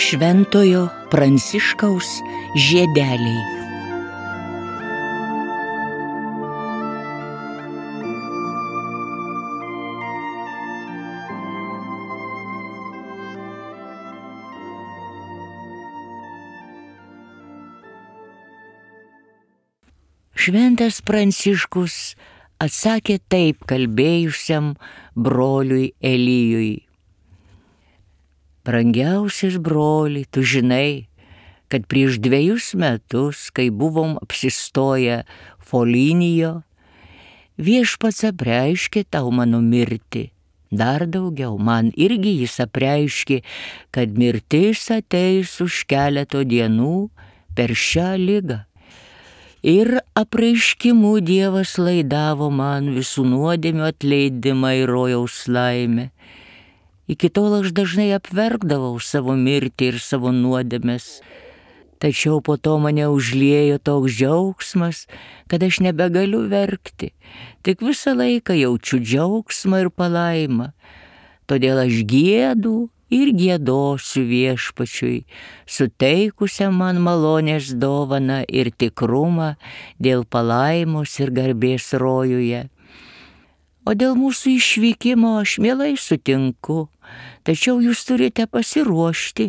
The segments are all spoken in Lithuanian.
Šventojo Pranciškaus žiedeliai. Šventas Pranciškus atsakė taip kalbėjusiam broliui Elijui. Brangiausias broli, tu žinai, kad prieš 2 metus, kai buvom apsistoję Folinijo, viešpats apreiškė tau mano mirtį. Dar daugiau, man irgi jis apreiškė, kad mirtis ateis už keleto dienų per šią ligą. Ir apreiškimu Dievas laidavo man visų nuodėmių atleidimą ir rojaus laimę. Iki tol aš dažnai apverkdavau savo mirtį ir savo nuodėmes, tačiau po to mane užliejo toks džiaugsmas, kad aš nebegaliu verkti, tik visą laiką jaučiu džiaugsmą ir palaimą. Todėl aš giedu ir giedosiu viešpačiui, suteikusiam man malonės dovaną ir tikrumą dėl palaimos ir garbės rojuje. O dėl mūsų išvykimo aš mielai sutinku, tačiau jūs turite pasiruošti,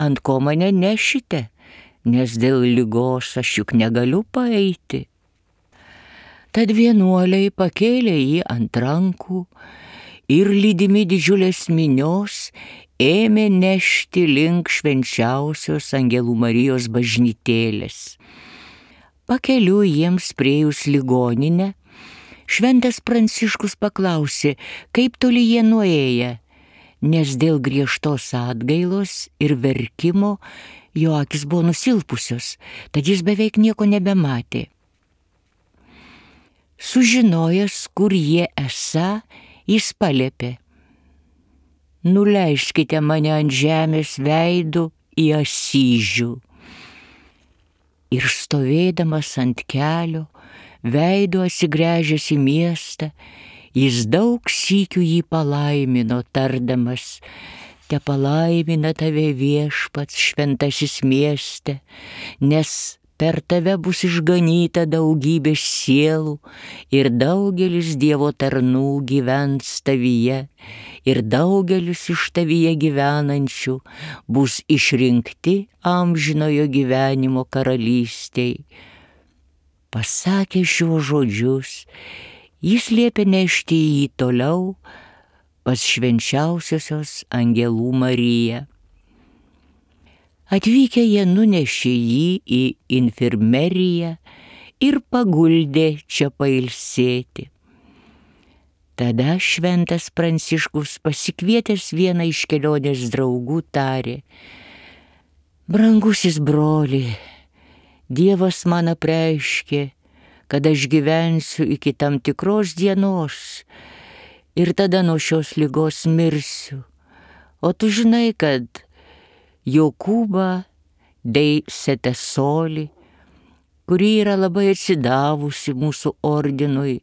ant ko mane nešite, nes dėl ligos aš juk negaliu paeiti. Tad vienuoliai pakėlė jį ant rankų ir lydimi didžiulės minios ėmė nešti link švenčiausios Angelų Marijos bažnytėlės. Pakeliui jiems priėjus ligoninę, Šventas Pranciškus paklausė, kaip toli jie nuėję, nes dėl griežtos atgailos ir verkimo jo akis buvo nusilpusios, tad jis beveik nieko nebematė. Sužinojęs, kur jie esą, jis paliepė: nuleiskite mane ant žemės veidu į Asyžių. Ir stovėdamas ant kelio, veidu atsigręžęs į miestą, jis daug sykių jį palaimino, tardamas: te palaimina tave viešpats šventasis mieste, nes per tave bus išganyta daugybė sielų ir daugelis Dievo tarnų gyvens tavyje ir daugelis iš tavyje gyvenančių bus išrinkti amžinojo gyvenimo karalystei. Pasakė šiuos žodžius, jis liepė nešti jį toliau pas švenčiausiosios Angelų Mariją. Atvykę jie nunešė jį į infirmeriją ir paguldė čia pailsėti. Tada Šventas Pranciškus, pasikvietęs vieną iš kelionės draugų, tarė: brangusis broli, Dievas man apreiškė, kad aš gyvensiu iki tam tikros dienos ir tada nuo šios ligos mirsiu. O tu žinai, kad Jokūba dei Setesoli, kuri yra labai atsidavusi mūsų ordinui,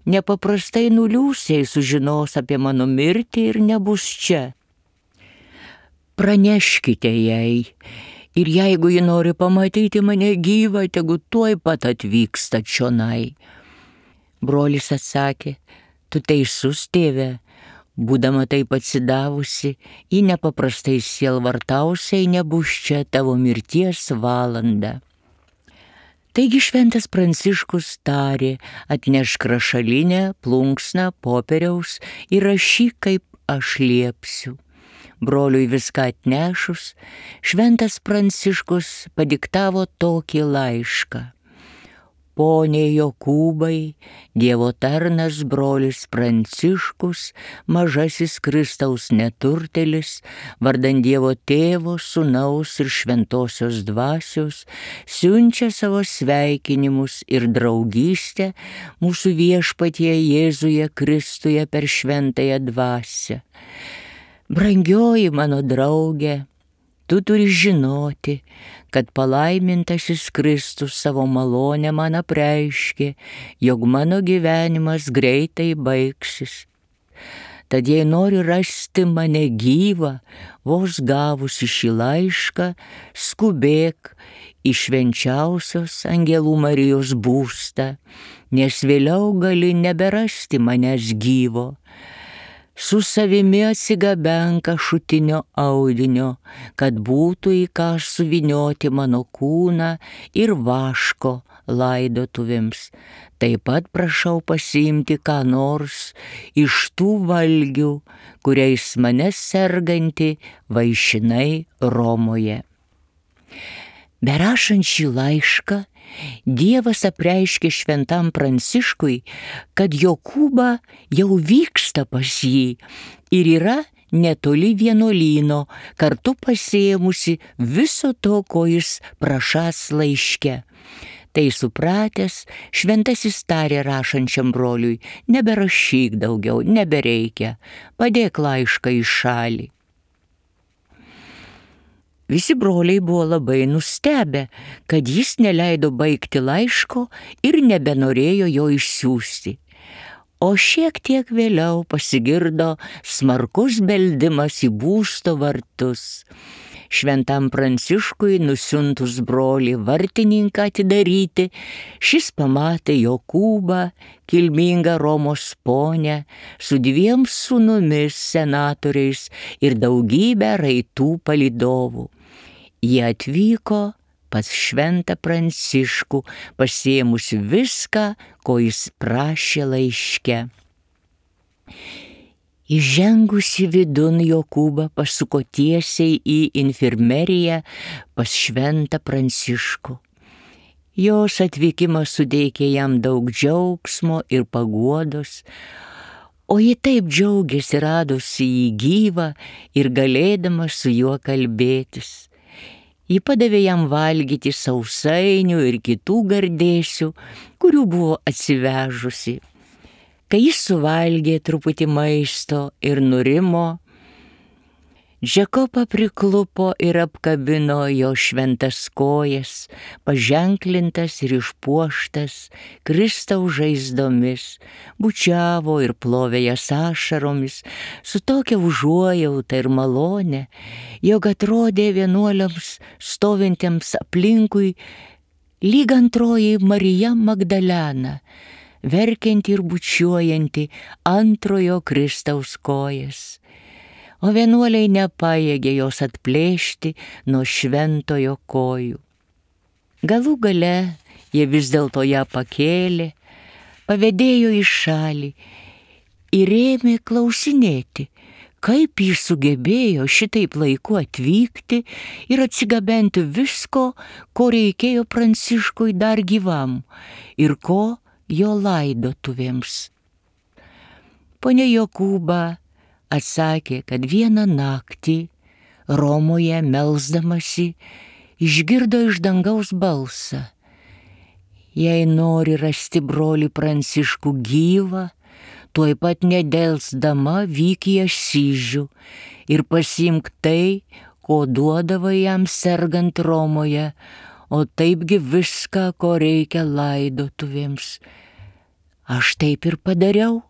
nepaprastai nuliūsiai sužinos apie mano mirtį ir nebus čia. Praneškite jai, ir jeigu ji nori pamatyti mane gyvą, tegu tuoj pat atvyksta čionai. Brolis atsakė: tu teisus, tėve, būdama taip atsidavusi, ji nepaprastai sielvartausiai nebus čia tavo mirties valandą. Taigi Šventas Pranciškus tarė: atnešk rašalinę, plunksną, popieriaus ir rašyk, kaip aš liepsiu. Broliui viską atnešus, Šventas Pranciškus padiktavo tokį laišką: Pone Jokūbai, Dievo tarnas brolis Pranciškus, mažasis Kristaus neturtelis, vardan Dievo Tėvo, Sūnaus ir Šventosios Dvasios, siunčia savo sveikinimus ir draugystę mūsų viešpatie Jėzuje Kristuje per Šventąją Dvasią. Brangioji mano draugė, tu turi žinoti, kad palaimintasis Kristus savo malonę man apreiškė, jog mano gyvenimas greitai baigsis. Tad jei nori rasti mane gyvą, vos gavusi šį laišką, skubėk į švenčiausios Angelų Marijos būstą, nes vėliau gali neberasti manęs gyvo. Su savimi atsigabenk ašutinio audinio, kad būtų į ką suvynioti mano kūną ir vaško laidotuvėms. Taip pat prašau pasiimti ką nors iš tų valgių, kuriais mane serganti vaišinai Romoje. Berašant šį laišką, Dievas apreiškė šventam Pranciškui, kad Jokūba jau vyksta pas jį ir yra netoli vienuolyno, kartu pasiėmusi viso to, ko jis prašas laiške. Tai supratęs, šventasis tarė rašančiam broliui: neberašyk daugiau, nebereikia, padėk laišką į šalį. Visi broliai buvo labai nustebę, kad jis neleido baigti laiško ir nebenorėjo jo išsiųsti. O šiek tiek vėliau pasigirdo smarkus beldimas į būsto vartus. Šventam Pranciškui nusiuntus brolį vartininką atidaryti, šis pamatė Jokūbą, kilmingą Romos ponę, su 2 sūnumis senatoriais ir daugybę raitų palydovų. Jie atvyko pas šventą Pranciškų, pasiėmusi viską, ko jis prašė laiške. Įžengusi vidun, Jokūba pasuko tiesiai į infirmeriją pas šventą Pranciškų. Jos atvykimas suteikė jam daug džiaugsmo ir paguodos, o ji taip džiaugiasi radusi jį gyvą ir galėdama su juo kalbėtis. Ji padavė jam valgyti sausainių ir kitų gardėsių, kurių buvo atsivežusi. Kai jis suvalgė truputį maisto ir nurimo, Džekoba priklupo ir apkabino jo šventas kojas, paženklintas ir išpuoštas Kristaus žaizdomis, bučiavo ir plovė jas ašaromis su tokia užuojauta ir malone, jog atrodė vienuoliams stovintiems aplinkui lyg antroji Marija Magdalena, verkianti ir bučiuojanti antrojo Kristaus kojas. O vienuoliai nepajėgė jos atplėšti nuo šventojo kojų. Galų gale jie vis dėlto ją pakėlė, pavedėjo į šalį ir ėmė klausinėti, kaip jis sugebėjo šitaip laiku atvykti ir atsigabenti visko, ko reikėjo Pranciškui dar gyvam ir ko jo laidotuvėms. Ponia Jokūba atsakė, kad vieną naktį Romoje melsdamasi išgirdo iš dangaus balsą: jei nori rasti brolį Pranciškų gyvą, tuoj pat nedelsdama vyk į Asyžių ir pasiimk tai, ko duodavo jam sergant Romoje, o taipgi viską, ko reikia laidotuvėms. Aš taip ir padariau,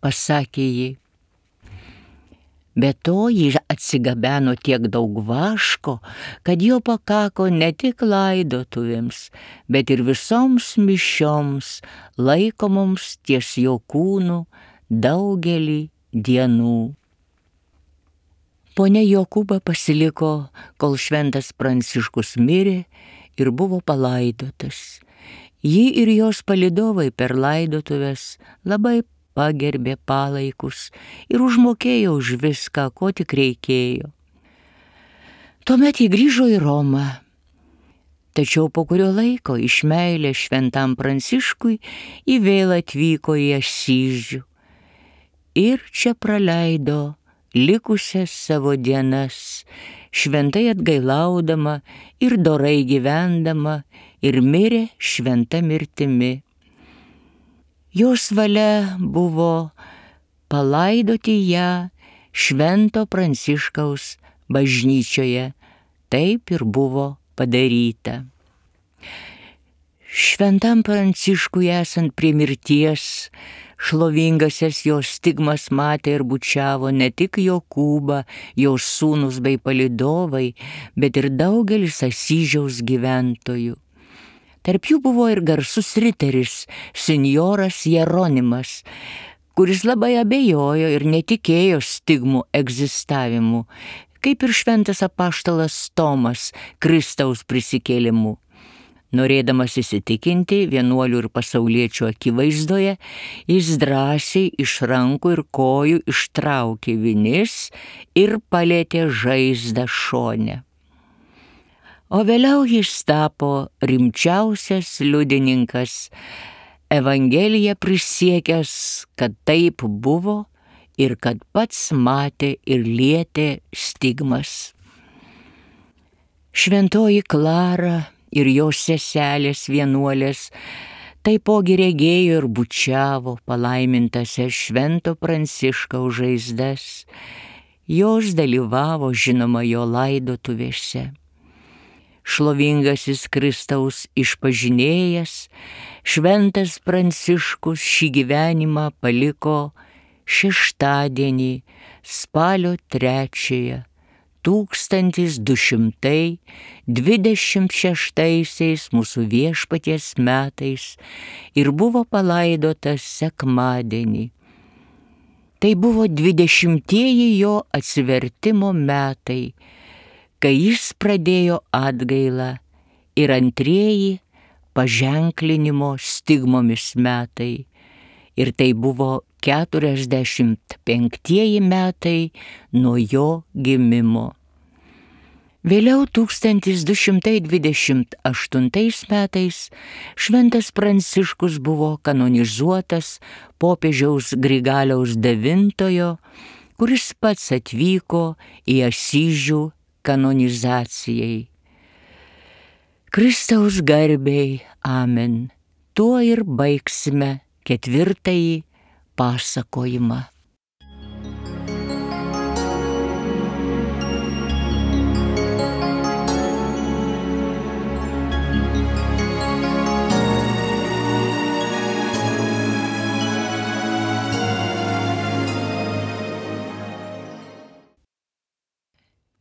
pasakė ji. Be to, ji atsigabeno tiek daug vaško, kad jo pakako ne tik laidotuvėms, bet ir visoms mišioms, laikomoms ties jo kūnu daugelį dienų. Ponia Jokūba pasiliko, kol šventas Pranciškus mirė ir buvo palaidotas. Ji ir jos palydovai per laidotuvės labai pagerbė palaikus ir užmokėjo už viską, ko tik reikėjo. Tuomet jį grįžo į Romą. Tačiau po kurio laiko iš meilės šventam Pranciškui jį vėl atvyko į Asyžių ir čia praleido likusias savo dienas, šventai atgailaudama ir dorai gyvendama, ir mirė šventa mirtimi. Jos valia buvo palaidoti ją švento Pranciškaus bažnyčioje. Taip ir buvo padaryta. Šventam Pranciškui esant prie mirties, Šlovingasias jos stigmas matė ir bučiavo ne tik Jokūbą, jos sūnus bei palydovai, bet ir daugelis Asyžiaus gyventojų. Tarp jų buvo ir garsus riteris, senjoras Jeronimas, kuris labai abejojo ir netikėjo stigmų egzistavimu, kaip ir šventas apaštalas Tomas Kristaus prisikėlimu. Norėdamas įsitikinti vienuolių ir pasauliečių akivaizdoje, jis drąsiai iš rankų ir kojų ištraukė vinis ir palietė žaizdą šone. O vėliau jis tapo rimčiausias liudininkas, Evangeliją prisiekęs, kad taip buvo ir kad pats matė ir lietė stigmas. Šventoji Klara ir jos seselės vienuolės taipogi regėjo ir bučiavo palaimintąsias Švento Pranciškaus žaizdas. Jos dalyvavo, žinoma, jo laidotuvėse. Šlovingasis Kristaus išpažinėjas, Šventas Pranciškus šį gyvenimą paliko šeštadienį, spalio 3, 1226 mūsų Viešpaties metais ir buvo palaidotas sekmadienį. Tai buvo 20-ieji jo atsivertimo metai, kai jis pradėjo atgailą, ir 2-ieji paženklinimo stigmomis metai. Ir tai buvo 45-ieji metai nuo jo gimimo. Vėliau 1228 metais Šventas Pranciškus buvo kanonizuotas popiežiaus Grigaliaus IX, kuris pats atvyko į Asyžių kanonizacijai. Kristaus garbei, amen. Tuo ir baigsime 4-ąjį pasakojimą.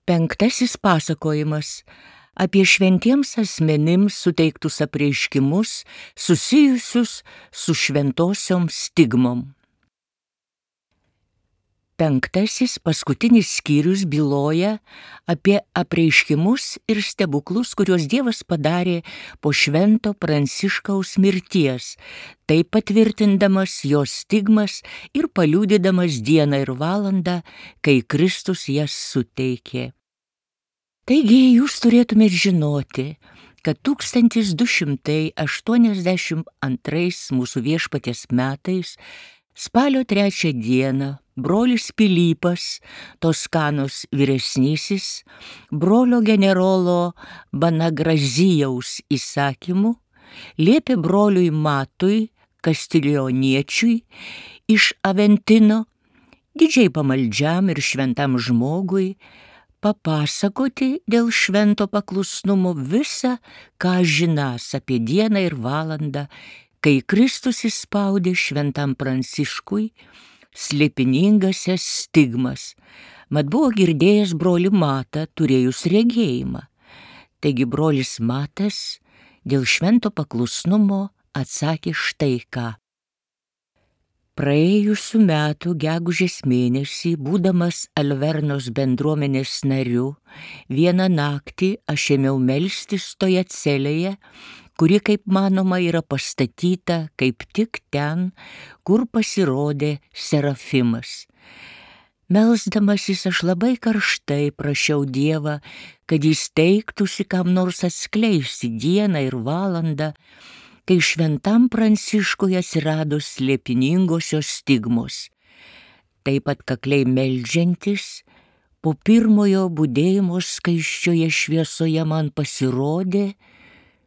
Penktasis pasakojimas apie šventiems asmenims suteiktus apreiškimus susijusius su šventosiom stigmom. Penktasis paskutinis skyrius byloja apie apreiškimus ir stebuklus, kuriuos Dievas padarė po Švento Pranciškaus mirties, taip patvirtindamas jo stigmas ir paliudydamas dieną ir valandą, kai Kristus jas suteikė. Taigi jūs turėtumėt žinoti, kad 1282 mūsų Viešpaties metais, spalio 3 dieną, brolis Pilypas, Toskanos vyresnysis, brolio generolo Banagrazijaus įsakymu, liepė broliui Matui, Kastilioniečiui, iš Aventino, didžiai pamaldžiam ir šventam žmogui, papasakoti dėl švento paklusnumo visą, ką žinąs apie dieną ir valandą, kai Kristus įspaudė šventam Pranciškui slėpiningasias stigmas, mat buvo girdėjęs brolį Matą, turėjus regėjimą. Taigi brolis Matas dėl švento paklusnumo atsakė štai ką. Praėjusių metų gegužės mėnesį, būdamas Alvernos bendruomenės nariu, vieną naktį aš ėmiau melstis toje celėje, kuri, kaip manoma, yra pastatyta kaip tik ten, kur pasirodė Serafimas. Melsdamasis aš labai karštai prašiau Dievą, kad jis teiktųsi kam nors atskleisti dieną ir valandą, kai šventam Pranciškui atsirado slėpiningosios stigmos. Taip atkakliai meldžiantis, po pirmojo budėjimo skaisčioje šviesoje man pasirodė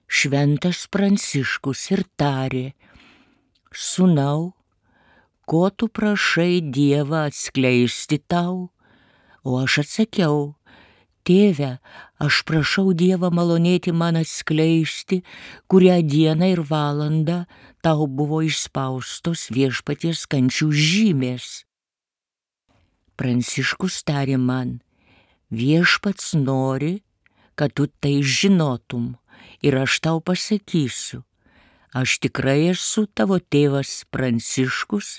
šventas Pranciškus ir tarė: Sūnau, ko tu prašai Dievą atskleisti tau? O aš atsakiau: Tėve, aš prašau Dievą malonėti man atskleisti, kurią dieną ir valandą tau buvo išspaustos viešpaties kančių žymės. Pranciškus tarė man, viešpats nori, kad tu tai žinotum ir aš tau pasakysiu. Aš tikrai esu tavo tėvas Pranciškus,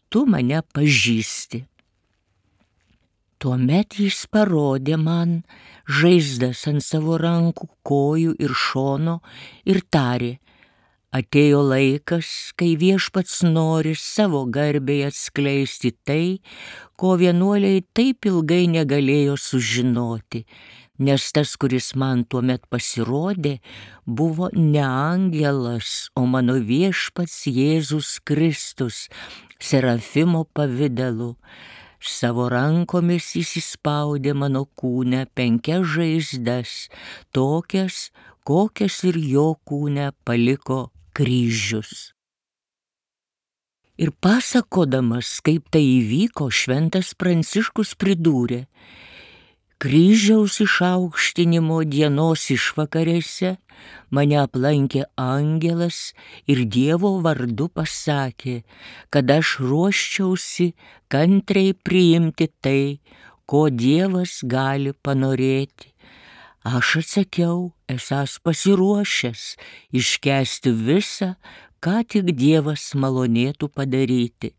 tu mane pažįsti. Tuomet jis parodė man žaizdas ant savo rankų, kojų ir šono ir tarė, atėjo laikas, kai viešpats nori savo garbėje atskleisti tai, ko vienuoliai taip ilgai negalėjo sužinoti, nes tas, kuris man tuomet pasirodė, buvo ne angelas, o mano viešpats Jėzus Kristus, serafimo pavidalu. Savo rankomis jis įspaudė mano kūne 5 žaizdas, tokias, kokias ir jo kūne paliko kryžius. Ir pasakodamas, kaip tai įvyko, šventas Pranciškus pridūrė, kryžiaus išaukštinimo dienos išvakarėse mane aplankė angelas ir Dievo vardu pasakė, kad aš ruoščiausi kantriai priimti tai, ko Dievas gali panorėti. Aš atsakiau, esąs pasiruošęs iškęsti visą, ką tik Dievas malonėtų padaryti.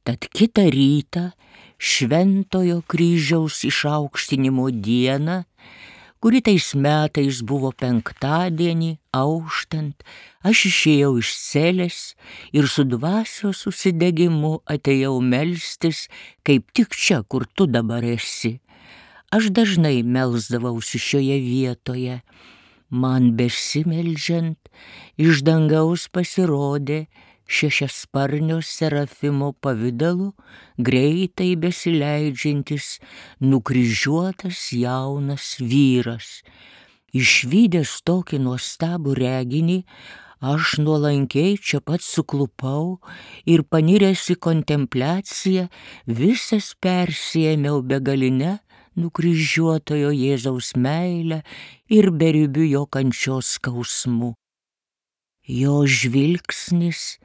Tad kitą rytą, Šventojo kryžiaus išaukštinimo dieną, kuri tais metais buvo penktadienį, auštant, aš išėjau iš celės ir su dvasios užsidegimu atėjau melstis, kaip tik čia, kur tu dabar esi. Aš dažnai melsdavausi šioje vietoje. Man besimeldžiant, iš dangaus pasirodė šešiasparnio serafimo pavidalu greitai besileidžiantis nukryžiuotas jaunas vyras. Išvydęs tokį nuostabų reginį, aš nuolankiai čia pat suklupau ir paniręs į kontempliaciją visas persiėmiau begaline nukryžiuotojo Jėzaus meilę ir beribiu jo kančios skausmu. Jo žvilgsnis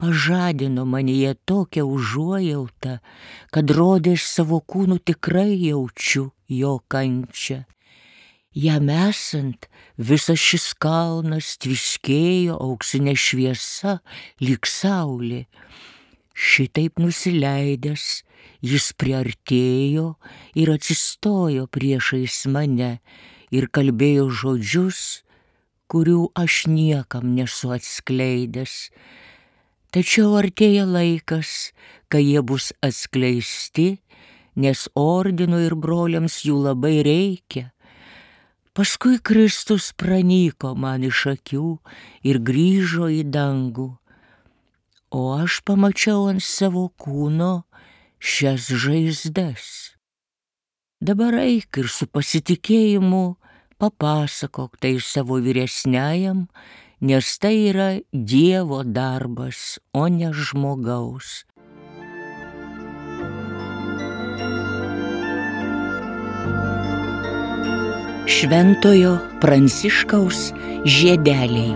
pažadino manyje tokią užuojautą, kad rodės savo kūnu tikrai jaučiu jo kančią. Jam esant, visas šis kalnas tviskėjo auksinė šviesa lyg saulė. Šitaip nusileidęs, jis priartėjo ir atsistojo priešais mane ir kalbėjo žodžius, kurių aš niekam nesu atskleidęs. Tačiau artėja laikas, kai jie bus atskleisti, nes ordinui ir broliams jų labai reikia. Paskui Kristus pranyko man iš akių ir grįžo į dangų, o aš pamačiau ant savo kūno šias žaizdas. Dabar eik ir su pasitikėjimu papasakok tai savo vyresniajam, nes tai yra Dievo darbas, o ne žmogaus. Šventojo Pranciškaus žiedeliai.